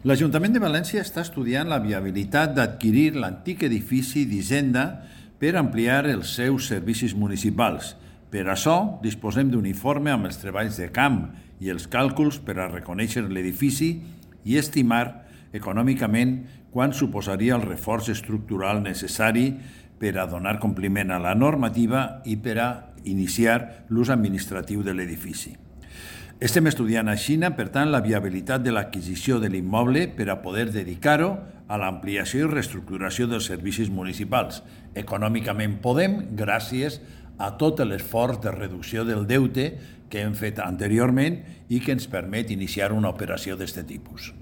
L'Ajuntament de València està estudiant la viabilitat d'adquirir l'antic edifici d'Hisenda per ampliar els seus servicis municipals. Per això, disposem d'un informe amb els treballs de camp i els càlculs per a reconèixer l'edifici i estimar econòmicament quant suposaria el reforç estructural necessari per a donar compliment a la normativa i per a iniciar l'ús administratiu de l'edifici. Estem estudiant a Xina, per tant, la viabilitat de l'adquisició de l'immoble per a poder dedicar-ho a l'ampliació i reestructuració dels servicis municipals. Econòmicament podem, gràcies a tot l'esforç de reducció del deute que hem fet anteriorment i que ens permet iniciar una operació d'aquest tipus.